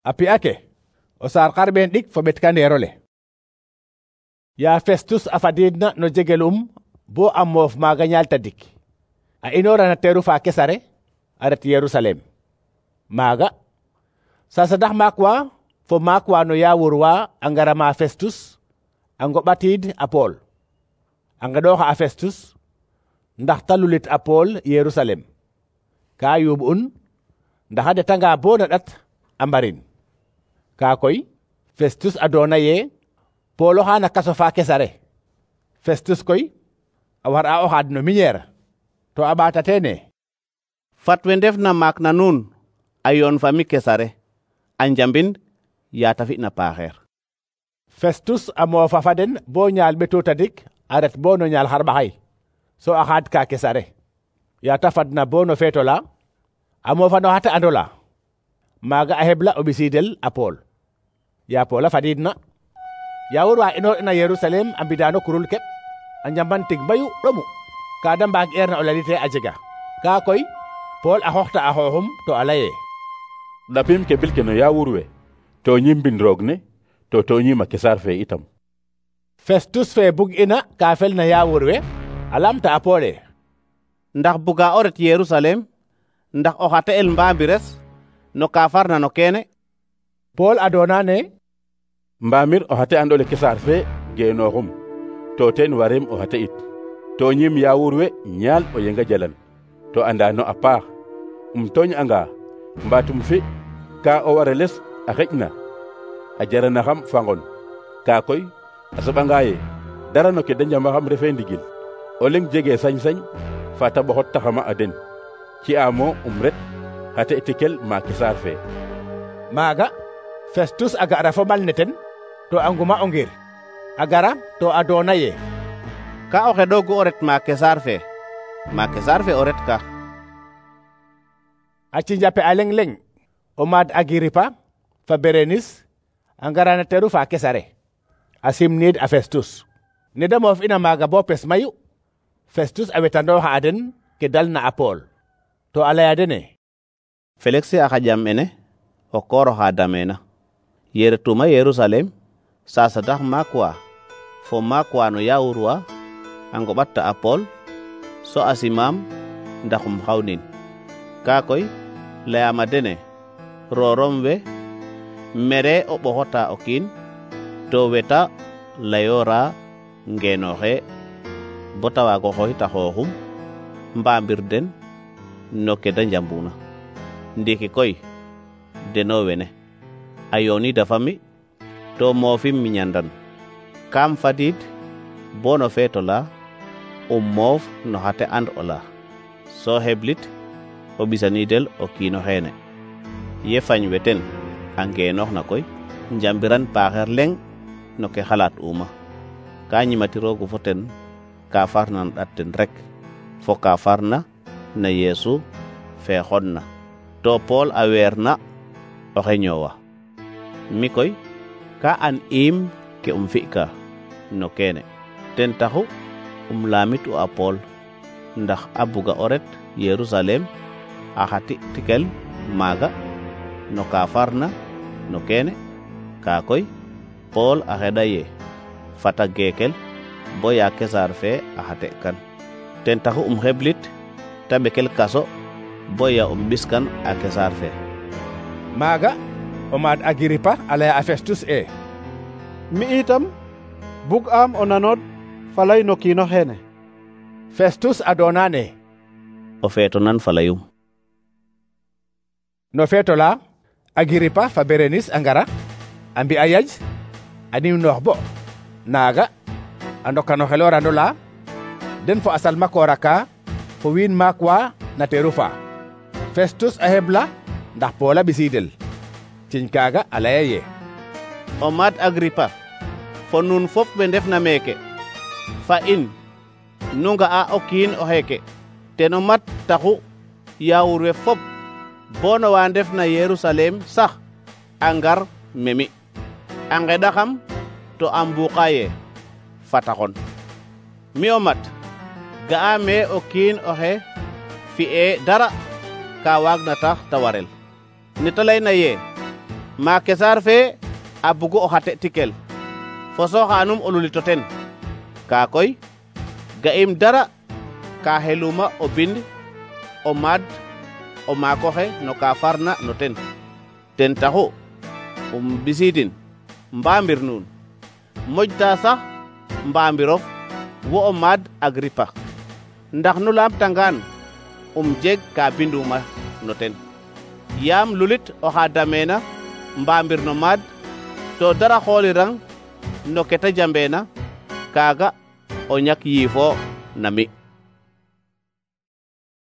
A pi'a ke o saar xarɓeen ɗik fo ɓetkandeerole. Ya Festus a fadiidna no jegelum bo a moof maaga ñaal tadik, a inoora na teeru fa Kesare a ret Yerusalem. Maaga sasadax maak wa fo maak wa no yaawur wa a ngara ma Festus a ngoɓatiid a Pool. A nqeɗooxa a Festus ndax ta lulit a Pool Yerusalem. Ka yuuɓ'un ndax a ɗetanga bo na ɗat a mbarin. Ka koy Festus a doona ye Pool oxa na kaso fa Kesare. Festus koy a war'a o xaad no miñeer, to a ɓaatatee ne: fat we ndefna maak na nuun a yoon fa mi Kesare a njambin ya ta fi'na paaxeer. Festus a moofa fa den bo ñaal ɓetu tadik a ret bo no ñaal xarɓaxay, so a xaad ka Kesare. Ya ta fadna bo no feet ola, a moofa no xa te'and ola. Maaga a heɓla o ɓisiidel a Pool. Ya Pool a fadiidna, yaawur wa inoor'ina Yerusalem a mbida no kurul keɓ, a njamban tig mayu ɗomu ka da mbaag'eerna o lalite a jega. Ka koy Pool a xooxta a xooxum to a laye: ɗapim ke bil ke no yaawur we to ñimbin roog ne to ñima Kesar fe itam. Festus fe bug'ina ka felna yaawur we a lamta a Poole: ndax buga o ret Yerusalem ndax o xa te'el mbaambires no ka farna no keene? Pool a doona ne: mbaamir o xa te'andole Kesar fe geenooxum, to teen wareem o xa te'it. To ñim yaawur we ñaal o yenga jalan, to andano a paax. Tooñ'anga mbaatum fi ka o wareles a xeƴna a jaranaxam fangon. Ka koy a soɓanga ye dara no ke da njamaxam refe ndigil, o leng jege sañ-sañ fa ta ɓoxot taxama a den. Ci'aamo ret xa te tikel ma Kesar fe. Maaga Festus a ga'ra fo mal ne ten to a nguma o ngir. A gara to a doona ye: ka o xeɗoogu o ret ma Kesar fe, ma Kesar fe o ret ka. A cinjape a leŋ-leŋ o maad Agiripa fa Berenis a ngara na teeru fa Kesare a simniid a Festus. Ne da moof'ina maaga bo pes mayu, Festus a wetandooxa a den ke dalna a Pool, to a laya dene: Felix a xaƴam mene o koor oxa dameena. Ye retuma Yerusalem sasadax maak wa fo maak wa no yaawur wa a ngoɓatta a Pool, so a simaam ndax xawnin. Ka koy layaam a dene roorom we mere o ɓoxota o kiin to weta layoora ngeenooxe bo ta waag o xooxit a xooxum mbaambir den no ke da njambuna. Ndiiki koy deno wene a yooniida fa mi to moofim miñandan. Kaam fadiid bo no feet ola moof no xa te'and ola, so xeblit o ɓisaniidel o kiino xeene. Ye fañ we ten a ngeenoox na koy njambiran paaxeer leŋ no ke xalaat'uma. Ka ñimatiroogu fo ten ka farna na ɗat ten rek fo ka farna na Yeesu fe xonna, to Pool a weerna oxe ñoowa. Mi koy ka an iim ke fi'ka no keene, ten taxu laamit'u a Pool ndax a buga o ret Yerusalem a xa tikel maaga no ka farna no keene. Ka koy Pool a xeɗa ye fata geekel bo ya Kesar fe a xa te'kan. Ten taxu xeblit ta ɓekel kaso bo ya ɓiskan a Kesar fe. Maaga o maad Agiripa a laya a Festus e: mi itam bug'am o nanood falay no kiino xeene. Festus a doona ne: o feeto nan falayum. No feetola Agiripa fa Berenis a ngara a mbi'a yaj a nimnoox bo naaga a ndoka no xeloorand ola den fo a salmakoor aka fo wiin maak wa na teeru fa. Festus a heɓla ndax Pool a ɓisiidel. Ciñ kaaga a laya ye: o maad Agripa fo nuun fop we ndefna meeke fa in nu nga'a o kiin o xeeke ten o mat taxu yaawur we fop bo no wa ndefna Yerusalem sax a ngar memi a ngeɗaxam to a mbuuqa ye fataxon. Mi o mat ga'aame o kiin oxe fi'e dara ka waagna tax ta warel. Ne ta layna ye ma Kesar fe a bugu o xate tikel fo soxanum o lulito ten ka koy ga'im dara ka xeluma o bind o maad o maakoxe no ka farna no ten taxu bisidin mbamir nuun moƴta sax mbamirof wo o maad Agripa ndax nu lamtangaan jeg ka binduma no ten yaam lulit oxa dameena mbamir no maad to dara xoolirang no kete jambeena kaaga o ñak yiifo na mi